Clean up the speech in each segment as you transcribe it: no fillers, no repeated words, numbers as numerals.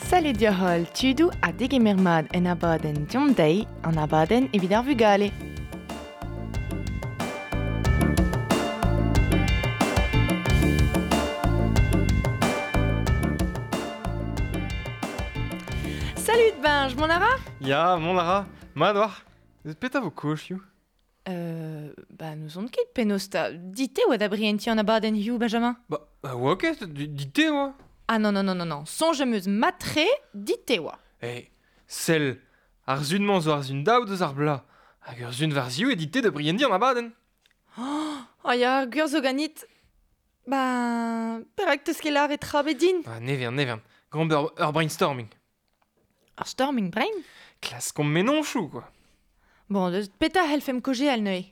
Salut deoc'h-holl tudoù ha degemer mat en abadenn Deomp dezhi, an abadenn evit ar vugale. Salut Benj, mont a ra Ya, mont a ra. Mat oc'h Petra vo kozhioù Euh, bah n'ouzon ket penaos 'ta. Dit-te oa da brientiñ an abadenn hiziv, Benjamin Bah, bah oa ket, dit-te oa. Ah non, non, non, non, non. Soñj am eus mat-tre, dit-te oa. Eh, sell, ar sun-mañ zo ar sun daou deus ar bloaz. Hag ur sun war ziv eo dit-te da brientiñ an abadenn. Oh ya, gwir zo ganit. Ben, perak 'teus ket lâret tra bet din? Ah, ne vern, ne vern. Grand ur, ur brainstorming. Ar storming brain? Klaskomp mennozhioù, quoi. Bon, deus petra c'hellfemp kaozeal neuze?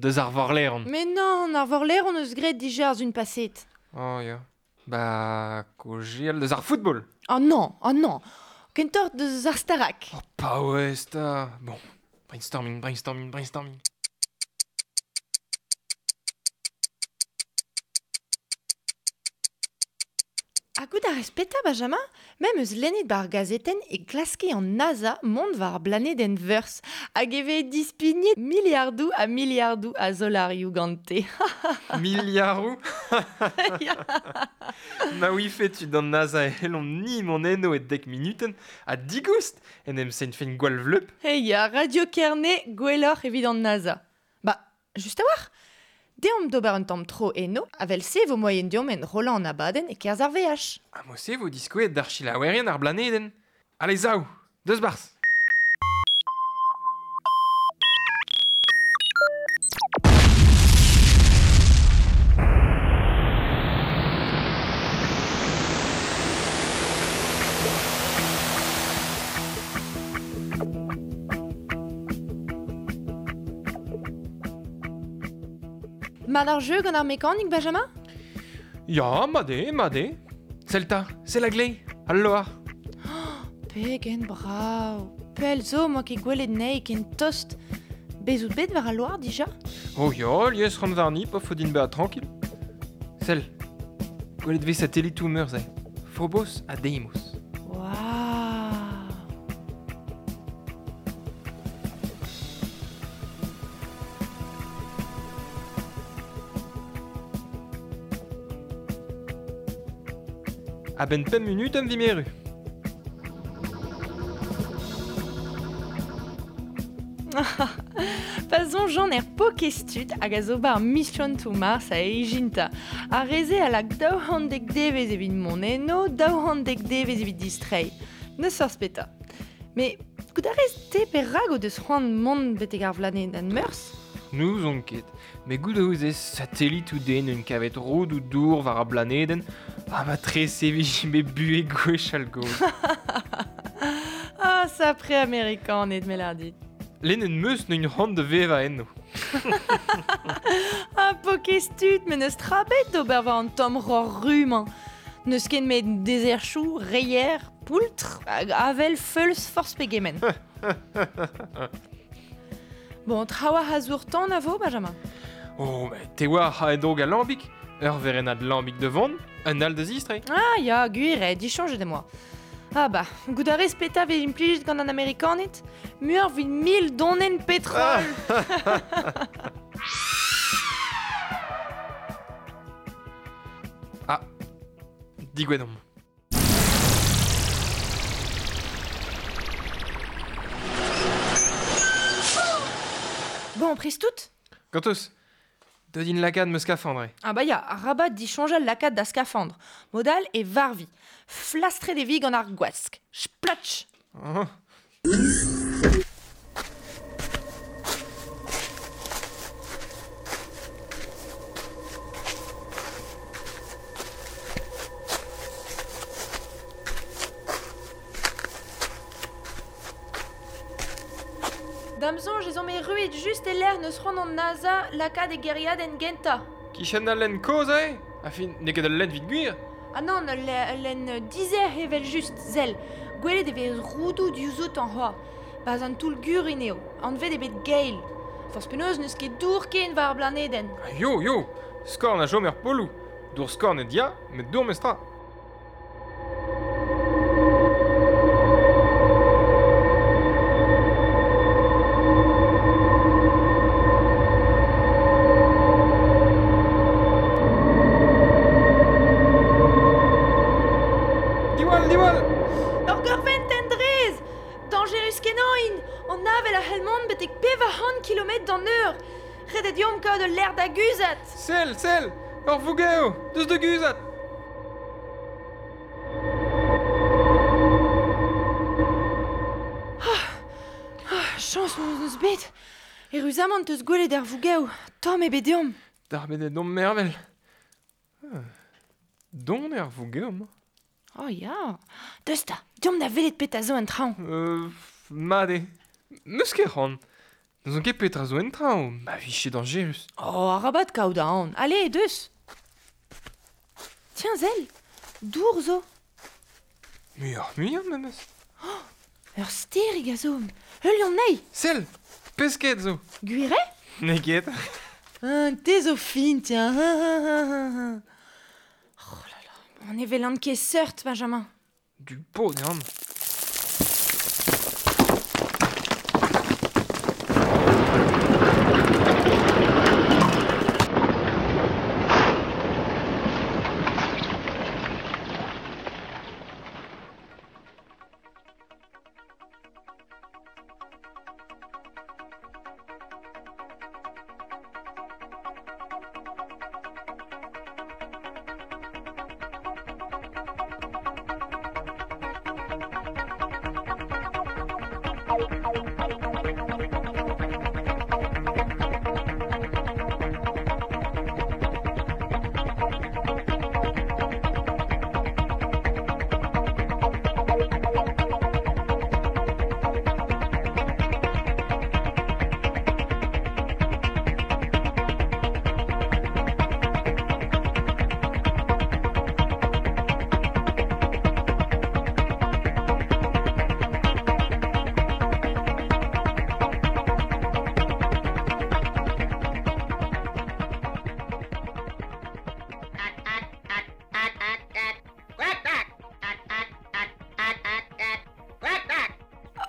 Deus ar vorleron. Mais non, ar vorleron eus graet dija ar sun paset. Oh ya. Ba, kaozeal deus ar football. Oh non, oh non. Kentoc'h deus ar Starak. Oh, paouez 'ta. Bon, brainstorming, brainstorming, brainstorming. Ha goût a rez petra, Benjamin? Me 'm eus lennet 'ba ar gazetenn e klaske an NASA mont war ar blanedenn Veurzh hag e vez dispignet miliardoù ha miliardoù a zolarioù gante. Miliaroù? Ma ouife tud an NASA e c'hellomp-ni mont eno e dek munutenn ha digoust en em sentfen gwall vleup. Hey ya, Radio Kerne gwelloc'h evit an NASA. Ba, Just a-walc'h! Deomp d'ober un tamm tro eno, avel-se e vo moaien deomp enrollañ an abadenn e-kerzh ar veaj. Ha mod-se vo diskouezet d'ar selaouerien ar blanedenn. Ale sav, deus 'barzh! Mat ar jeu gant ar mekanik, Benjamin? Ya, mat eo, mat eo. Sell 'ta, sell a-gleiz, al loar. Pegen brav. Pell zo 'moa ket gwelet anezhi ken tost. Bez out bet war al loar dija? Oh ya, lies ran warni pa faot din bezañ tranquil. Sell, gwelet 'vez satelitoù meur-se. Phobos ha Deimos. Waouh! A-benn pemp munutenn 'vimp erru. Pa soñjan er pokestud hag a zo 'ba ar Mission to Mars a ijinta. Ar re-se a lak 210 devezh evit mont eno, 210 devezh evit distreiñ. N'eus forzh petra. Met goût a rez te perak o deus c'hoant mont betek ar vlanedenn Meurzh? N'ouzon ket, met goût a ouzez satelitoù den un kavet rodoù dour war ar blanedenn ha ma trese 'vije bet buhez gwechall-gozh. Ah, sapre Amerikaned, me lâr dit. Lennet 'm eus n'on c'hoant da vevañ eno. Ah, pokez tud, met n'eus tra bet d'ober war an tamm roc'h ru-mañ. N'eus ket met dezerchoù, reier, poultr hag avel feuls forzh pegement. Bon, trawalc'h a zour-tan a vo, Benjamin? Oh, mais te oar a dog al lambig Ur werennad lambig da vont, un all da zistreiñ. Ah ya, gwir eo, disoñjet em boa. Ah bah, goût a rez petra vez implijet gant an Amerikaned? Muioc'h evit mil donenn petrol! Ah, digouezet omp. Bon, prest tout? Gantos, deut int lakaat ma skafandr. Ah bah ya, arabat disoñjal lakaat da skafandr. Mod all e varvi. Flastret e vi gant ar gwask. Splatch! Ah. Da'm soñj ez omp erruet just e-lec'h n'eus c'hoant an NASA lakaat e gêriadenn gentañ. Kichen al lenn kozh eo Añfin, n'eo ket ul lenn evit gwir. Ah nann, ul lenn dizec'h evel-just, sell. Gwelet e vez roudoù diouzhoutañ c'hoazh. Baz an toull gurin eo, anvet eo bet Gale. Forzh penaos n'eus ket dour ken war ar blanedenn. Ah, yo, yo! Skorn a chom er poloù. Dour skornet ya, met dour mestra. Diwall, diwall! Ur gorventenn drez! Dañjerus-kenañ int! An avel a c'hell mont betek 400 kilometr d'an eur! Ret eo deomp kaout ul lec'h da guzhat! Sell, sell! Ur vougev! Deus da guzhat! Chañs hon eus bet! Eruzamant 'teus gwelet ar vougev! Tomm eo bet deomp! Darbet eo deomp mervel. Don eo ar vougev-mañ. Oh ya! Deus 'ta, deomp da welet petra zo en traoñ. Mat eo. N'eus ket c'hoant. N'ouzon ket petra zo en traoñ, ma vije dañjerus. Oh, arabat kaout aon. Ale, deus! Tiens, sell, dour zo. Muioc'h-muiañ memes. Oh, ur stêrig a zo. Heuliomp anezhi. Sell, pesked zo. Gwir eo? N'eo ket. Te zo fin, tiens. Oh là là, on ne welan ket seurt, Benjamin. Du paotr eo amañ.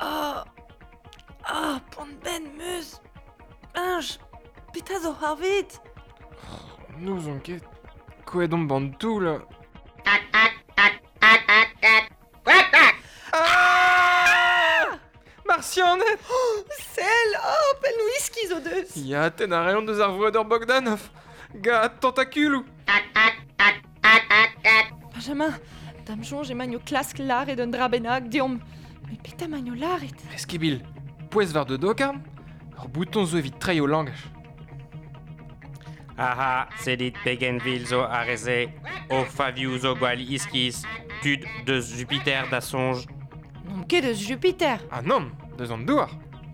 Oh, oh, poan-benn 'meus. Eñj, petra zo c'hoarvezet? N'ouzon ket. Kouezhet omp an toull. Ah Martianed Sell, oh, penn whisky zo deus. Ya, tenn a reont deus ar vreudeur Bogdanov. Gant tentakuloù. Benjamin, da'm soñj emaint o klask lâret un dra bennak deomp. Met petra emaint o lâret? Eskibil, pouez war da dokarn, ur bouton zo evit treiñ o langaj. Aha, sellit pegen vil zo ar re-se. O favioù zo gwall iskis. Tud deus Jupiter da soñj. N'omp ket eus Jupiter. Ah nann, deus an douar.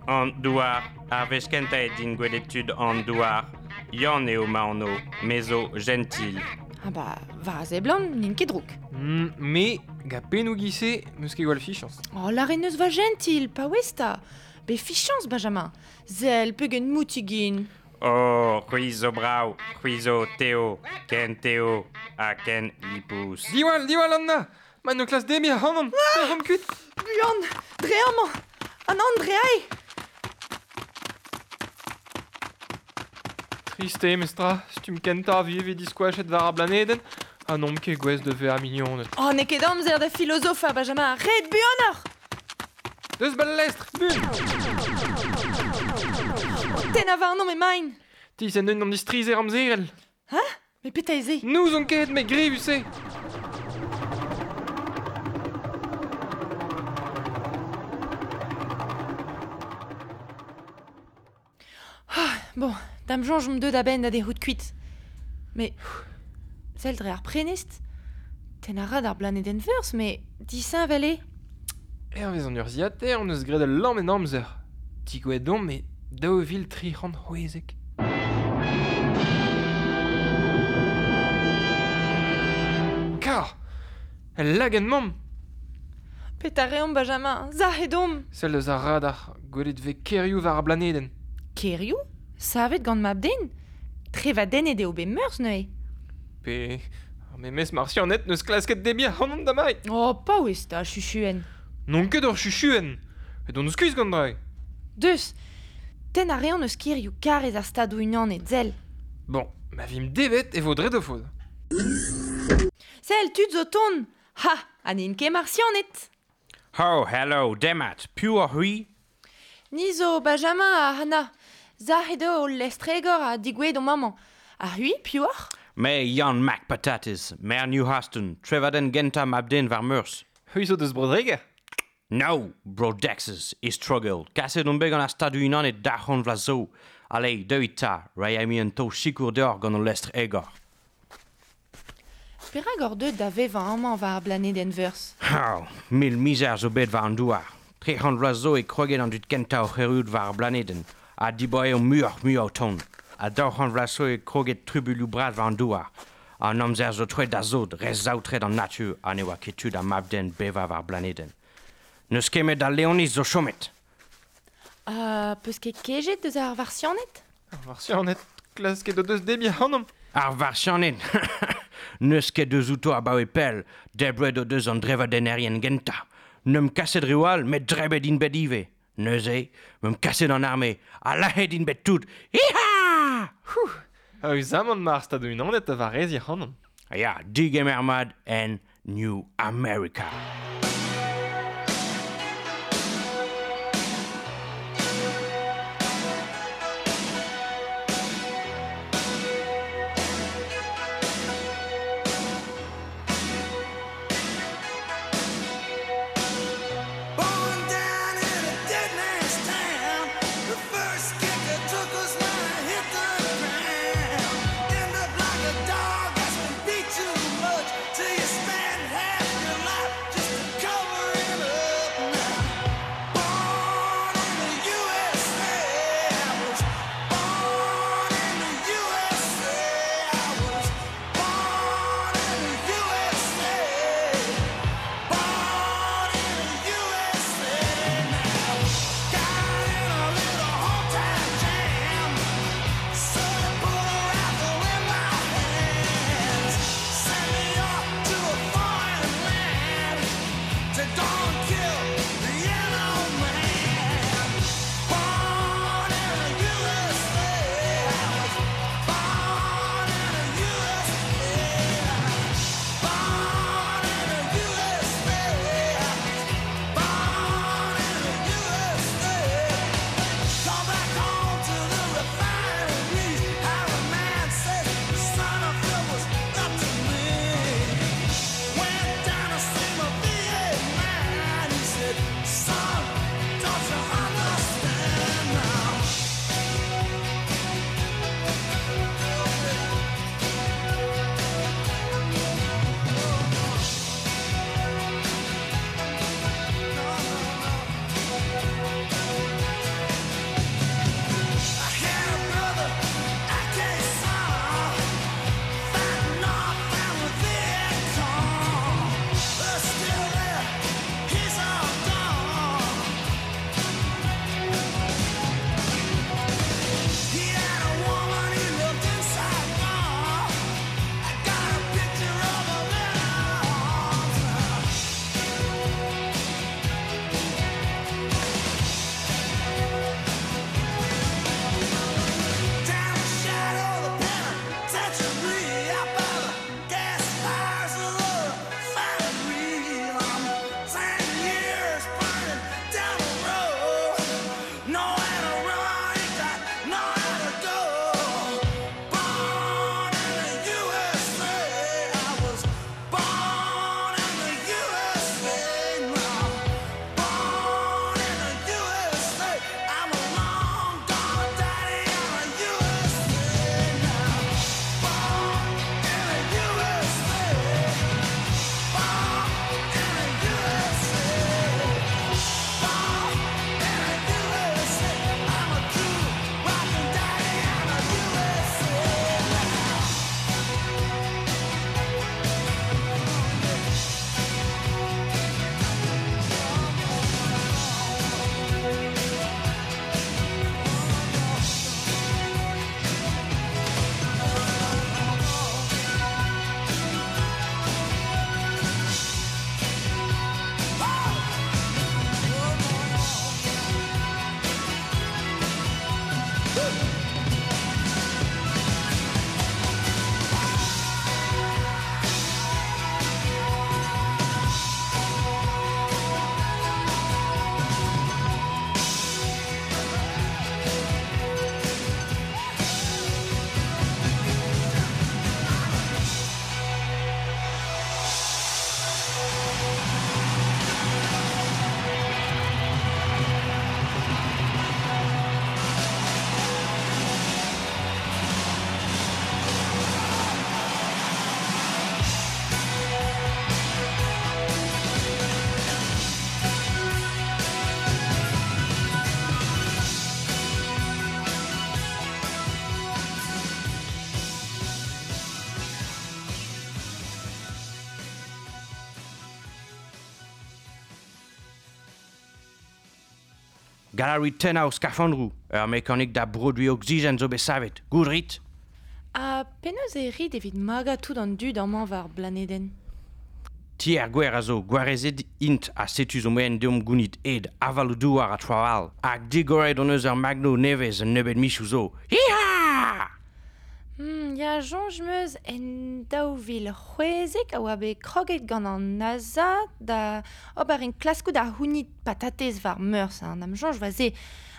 An douar. Ar wech kentañ eo din gwelet tud an douar. Yann eo ma anv, me zo jentil. Ah bah, war a seblant, n'int ket drouk. Me, gant pennoù giz-se, 'meus ket gwall fichañs. Oh, lâret 'neus va jentil, paouez 'ta. Bet fichañs, Benjamin. Sell, pegen moutig int. Oh, c'hwi zo brav, c'hwi zo teo, ken teo ha ken lipous. Diwall, diwall, Anna! Ma n'o klask debriñ ac'hanon, tec'homp kuit! Buan, dre amañ! An Andreae! Trist eo, mestra, stumm kentañ a vije diskoachet war ar blanedenn ha n'omp ket gouest da vezañ mignoned. Oh, n'eo ket amzer da filozofañ, Benjamin, ret buanoc'h! Deus bal lestr, buan! O tennañ warnomp emaint! Tizh en un an distrizher amzerel. Hein? Met petra eo se? N'ouzon ket, met grevus eo. Bon, da'm soñj omp deuet a-benn da dec'hout kuit. Mais sell dre ar prenestr, tenn a ra d'ar blanedenn Veurzh, met disheñvel eo. Hervez an urzhiataer hon eus graet ul lamm en amzer. Digouezhet omp e 2316. Kar! El lagenn-mamm! Petra reomp, Benjamin, sac'het omp. Sell eus ar radar, gwelet 'vez kêrioù war ar blanedenn. Kêrioù? Savet gant mab-den? Trevadennet eo bet Meurzh neuze. Pe ar memes marsianed 'neus klasket debriñ ac'hanomp damai. Oh, paouez 'ta, chuchuenn. N'on ket ur chuchuenn. Edon skuizh gant dra. Deus, tenn a reont eus kêrioù karrez ar Stadoù-Unanet, sell. Bon, ma vimp devet e vo dre da faot. Sell, tud zo tont! Ha, ha n'int ket marsianed! Oh, hello, demat, piv oc'h c'hwi? Ni zo Benjamin ha Hannah. Sac'het eo hol lestr-egor ha degouezhet omp amañ. Ha c'hwi, piv oc'h? Me, Yann Mac Patates, maer New Houston, trevadenn gentañ mab-den war Meurzh. C'hwi zo deus Bro-Dreger? No, Bro-Dexas, istrogell. Kaset on bet gant ar Stadoù-Unanet daou c'hant vloaz zo. Ale, deuit 'ta, reiñ a un taol sikour deoc'h gant hol lestr-egor. Perak oc'h deuet da vevañ amañ war ar blanedenn Veurzh? Oh, mil mizer zo bet war an douar. 300 vloaz zo e kroget an dud kentañ oc'h erruout war ar blanedenn, ha dibaoe eo muioc'h-mui o tont. Ha 200 vloaz zo e kroget trubuilhoù bras war an douar. An amzer zo troet da sot, re saotret an natur ha ne oa ket tu da mab-den bevañ war ar blanedenn. N'eus ket met al Leoniz zo chomet. Ha 'peus ket kejet deus ar Varsianed? Ar Varsianed, klasket o deus debriñ ac'hanomp. Ar Varsianed N'eus ket deus outo abaoe pell, debret o deus an drevadennerien gentañ. N'eump kaset reoù all, met drebet int bet ivez. Neuze, 'meump kaset an arme, ha lazhet int bet tout. Iha! Aezamant ma ar Stadoù-Unanet da wareziñ ac'hanomp. Ya, digemer mat en New America. Galari tennañ o skafandroù, ur mekanik da broduiñ oksigen zo bet savet, goût 'rit? Ha penaos e rit evit magañ tout an dud amañ war ar blanedenn? Tier gwer a zo, gwarezet int ha setu zo moaien deomp gounit ed, avaloù-douar ha traoù all. Hag digoret hon eus ur magno nevez un nebeud mizoù zo. Hi-ha! Ya, soñj 'm eus en 2016 a oa bet kroget gant an NASA da ober enklaskoù da c'hounit patatez war Meurzh, hein, da'm soñj 'oa se.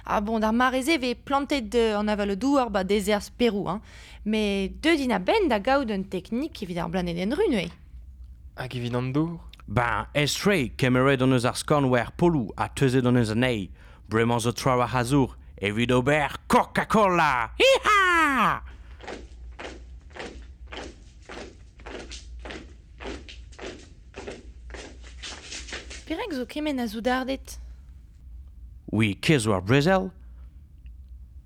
Ah bon, d'ar mare-se e vez plantet an avaloù-douar 'ba dezerzh Perou, hein. Met deuet int a-benn da gaout un teknik evit ar blanedenn ru neuze. Hag evit an dour? Ben, aes-tre, kemeret hon eus ar skorn war ar poloù ha teuzet hon eus anezhi. Bremañ zo trawalc'h a zour evit ober Coca-Cola! Hi-ha! Perak zo kement a soudarded? Oui, kez zo ar brezel?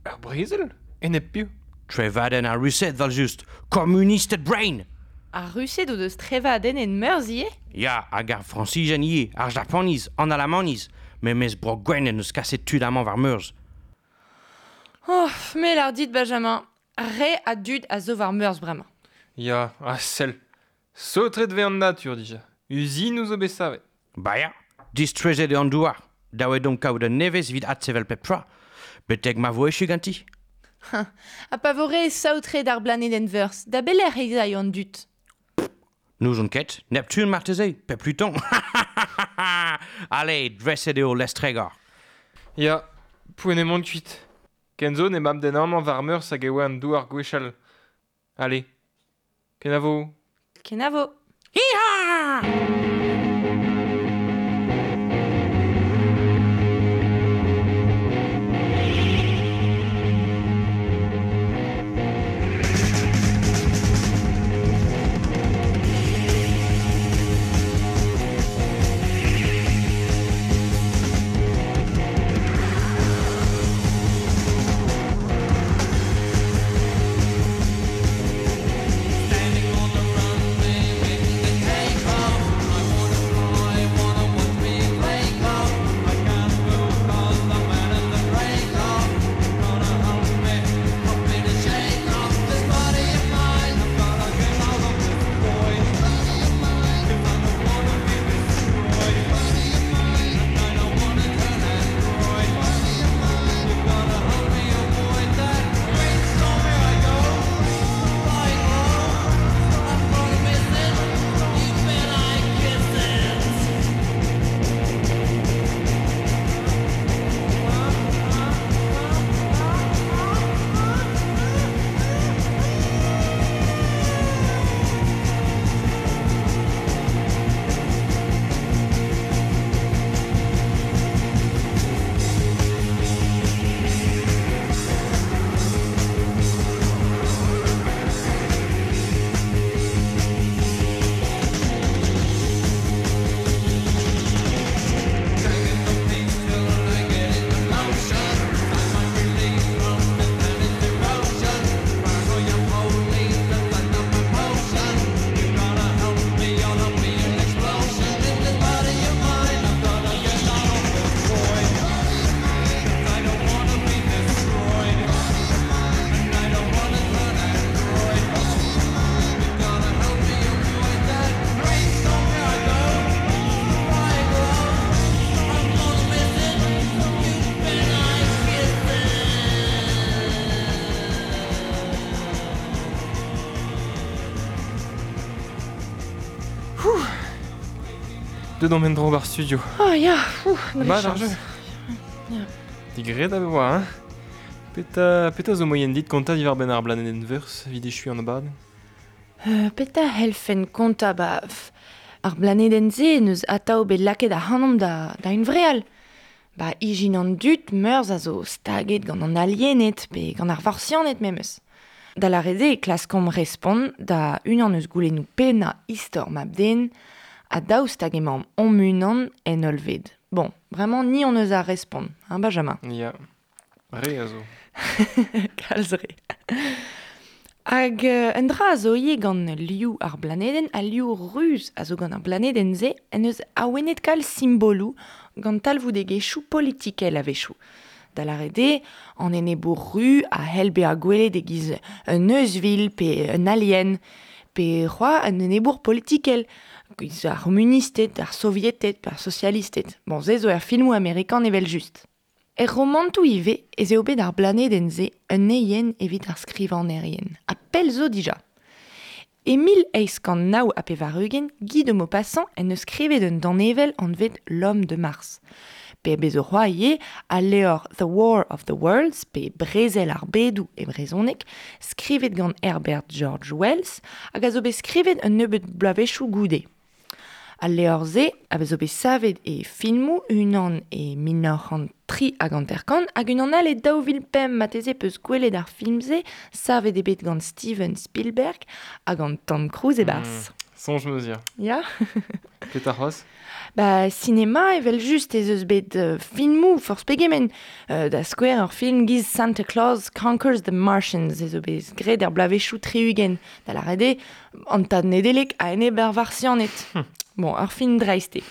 Ar brezel? Enep piv? Trevadenn ar Rused, 'vel-just! Komunisted brein! Ar Rused o deus trevadennet Meurzh ivez? Ya, hag ar Frañsizien ivez, ar Japaniz, an Alamaniz, memes Bro-Gwenn en deus kaset tud amañ war Meurzh. Oh, me 'lâr dit, Benjamin, re a dud a zo war Meurzh bremañ. Ya, ha sell, saotret 'vez an natur dija. Uzinoù zo bet savet. Ba ya, distrujet eo an douar. Dav eo deomp kaout un nevez evit adsevel pep tra. Betek ma vo echu ganti. Ha pa vo re saotret ar blanedenn Veurzh, da belec'h ez aio an dud? N'ouzon ket. Neptune marteze, pe Pluton. Allez, dreset eo lestregor. Ya, poent eo mont kuit. Ken zo n'emañ den amañ war Meurzh hag e oa an douar gwechall. Allez, kenavo. Kenavo. Hi-ha! Deut omp en-dro ba'r studio. Oh ya, ouh, dre Mat ar chañs. jeu. Ya. Digred a oa, hein? Petra, petra zo moaien dit kontañ diwar-benn ar blanedenn Veurzh evit echuiñ an abadenn? Petra c'hellfen kontañ ba pff, ar blanedenn-se n'eus atav bet lakaet ac'hanomp da, da hunvreal. Ba ijin an dud Meurzh a zo staget gant an aliened pe gant ar varsianed memes. Da lâret eo e klaskomp respont da unan eus goulennoù pennañ istor mab-den ha daoust hag emaomp hon-unan en hollved. Bon, bremañ ni hon eus ar respont, hein Benjamin? Ya, re a zo. Kalz re. Hag un dra a zo ivez gant liv ar blanedenn, al liv ruz a zo gant ar blanedenn-se en deus awenet kalz simboloù gant talvoudegezhioù politikel a-wechoù. Da lâret eo, an enebour ru a c'hell bezañ gwelet e-giz un euzhvil pe un alien, pe c'hoazh un enebour politikel, giz ar c'homunisted, ar sovieted pe ar sosialisted. Bon, se zo er filmoù amerikan evel-just. Er romantoù ivez ez eo bet ar blanedenn-se un eien evit ar skrivagnerien, ha pell zo dija. E 1889, Guy de Maupassant en deus skrivet un danevell anvet L'homme de Mars. Pe bez zo c'hoazh ivez al levr The War of the Worlds, pe Brezel ar bedoù e brezhoneg, skrivet gant Herbert George Wells, hag a zo bet skrivet un nebeud bloavezhioù goude. Al levr-se a zo bet savet e filmoù, unan e 1953 hag unan all e 2005 marteze peus gwelet ar film-se, savet eo bet gant Steven Spielberg ha gant Tom Cruise e-barzh. Soñj 'm eus ya. Ya. Petra c'hoazh? Ba, sinema evel-just ez eus bet filmoù forzh pegement. Da skouer ur film giz Santa Claus Conquers the Martians ez zo bet graet er bloavezhioù 60, da lâret eo an tad Nedeleg a-enep ar Varsianed. Bon, ur film dreist eo.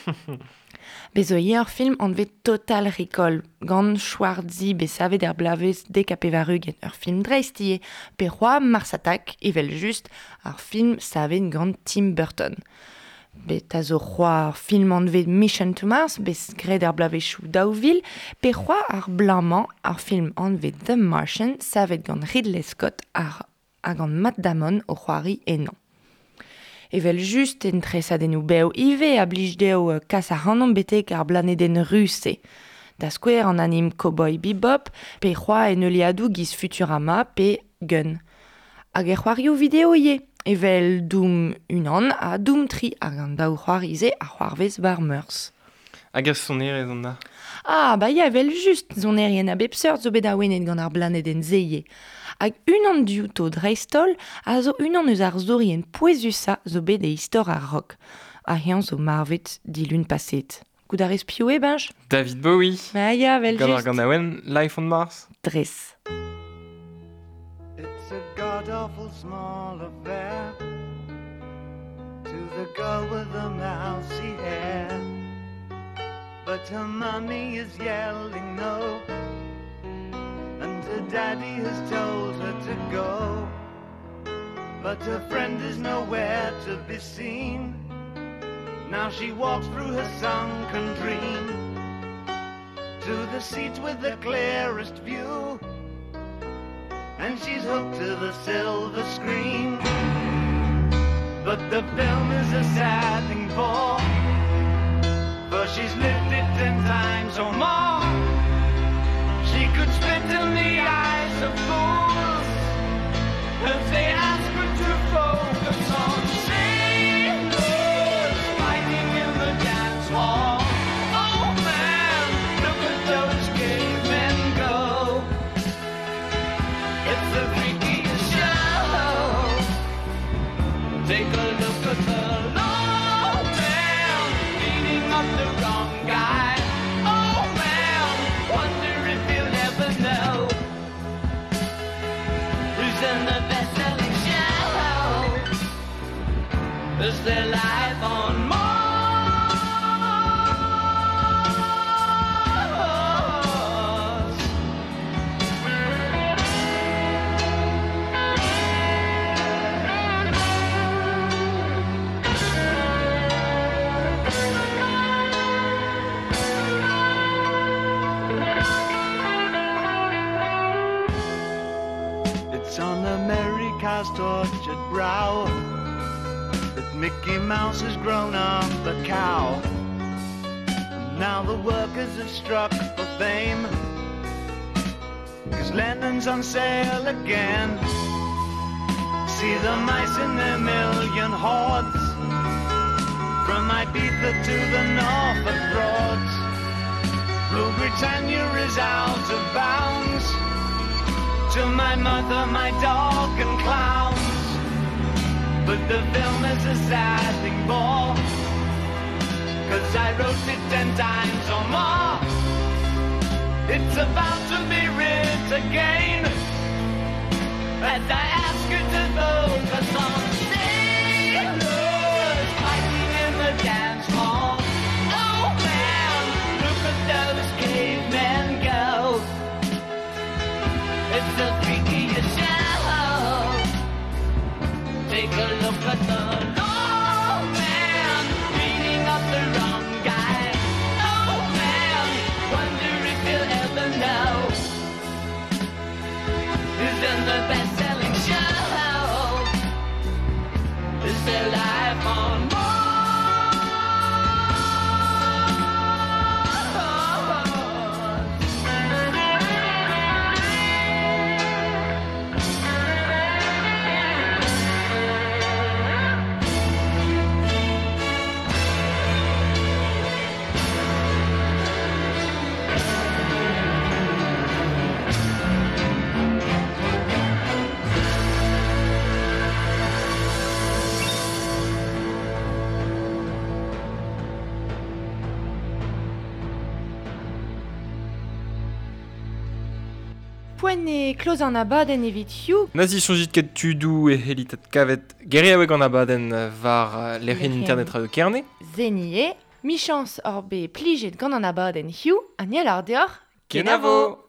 Bez zo ivez ur film anvet Total Recall gant Schwarzy bet savet er bloavezh 90, ur film dreist ivez, pe c'hoazh Mars Attack, evel-just, ar film savet gant Tim Burton. Bet a zo c'hoazh ur film anvet Mission to Mars, bet graet er bloavezhioù 2000, pe c'hoazh ar bloaz-mañ ar film anvet The Martian, savet gant Ridley Scott ha gant Matt Damon o c'hoari ennañ. Evel-just en tresadennoù bev ivez a blij dezho kas ac'hanomp betek ar blanedenn ruz-se. Da skouer an anim Cowboy Bebop pe c'hoazh en heuliadoù giz Futurama pe Gun. Hag er c'hoarioù video ivez, evel Doom unan ha Doom 3 hag an daou c'hoari-se a c'hoarvez war Meurzh. Hag ar sonerezh an da? Ah, ba ya, evel-just, sonerien a bep seurt zo bet awenet gant ar blanedenn-se ivez. Hag unan diouto dreist-holl a zo unan eus ar zourien pouezusañ zo bet e istor ar rock. Ha eñ zo marvet dilun paseet. Goût a rez piv eo, Benj? David Bowie. Ba ya, evel-just. Gant ar ganaouenn Life on Mars. Dres. It's a god-awful small affair to the girl with the mousy hair. But her mommy is yelling no, and her daddy has told her to go. But her friend is nowhere to be seen. Now she walks through her sunken dream to the seat with the clearest view, and she's hooked to the silver screen. But the film is a sad thing for she's lived it 10 times or more. She could spit in the eyes of fools if they ask her to focus on sailors fighting in the dance hall. Oh man, look at those cavemen go. It's the freakiest show. Take a look at the old man beating up the wrong guy. Oh man, wonder if he'll ever know who's in the best-selling show. Is there life on Mars? It's on America's tortured brow that Mickey Mouse has grown up a cow. And now the workers have struck for fame, 'cause Lennon's on sale again. See the mice in their million hordes, from Ibiza to the Norfolk Broads. Rule Britannia is out of bounds to my mother, my dog and clowns. But the film is a sad thing for, 'cause I wrote it 10 times or more. It's about to be writ again, As I ask her to focus on sailors fighting in the dance hall. Oh man, look at those cavemen go. It's the freakiest show. Take a look at the old man beating up the wrong guy. Oh man, wonder if he'll ever know. Who's in the best-selling show? Is there life on Mars? Poent e kloz an abadenn evit hiziv. Nazi soñjit ket tudou e helitat kavet geriaoueg an abadenn war lec'hienn internet Radio Kerne. Zenie, michans or be plijet gant an abadenn hiziv, ha niel ar deoc'h, Kenavo!